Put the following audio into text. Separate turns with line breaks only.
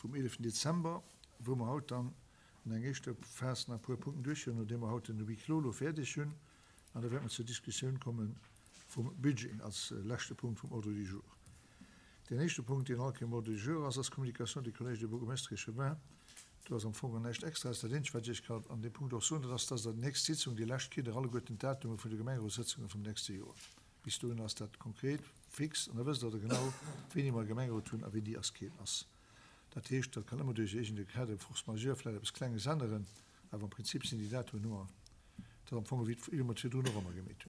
Vum 11 Dezember, wou mer haut dann an eng éischter Phas nach e puer Punkten duerchhuelen, nodeem mer haut den Huis clos elo fäerdeg hunn. An da wäerte mer zur Diskussioun komme vum Budget als leschte Punkt vum Ordre du jour. Deen éischte Punkt, deen all Kéier um Ordre du jour ass, ass d'Communication des collèges des bourgmestres et échevins. Do ass am Fong näischt Extraes. Dat eenzegt, wat ech Iech kann an deem Punkt och soen, dat ass, dass Der déi nächst Sitzung, déi lescht, kritt Der alleguerten d'Datume vun de Gemengerotssëtzunge vum nächste Joer. Bis dohin ass dat konkret, fix an da wësst Der da genau, wéini mer e Gemengerot hunn a wéini ass keen ass. Dat heescht, dat kann ëmmer duerch iergend e Cas de force majeure vläicht eppes Klenges änneren, awer am Prinzip sinn déi Datumen ëmmer dat am Fong, wéi mer et virdrun och ëmmer gemeet hunn.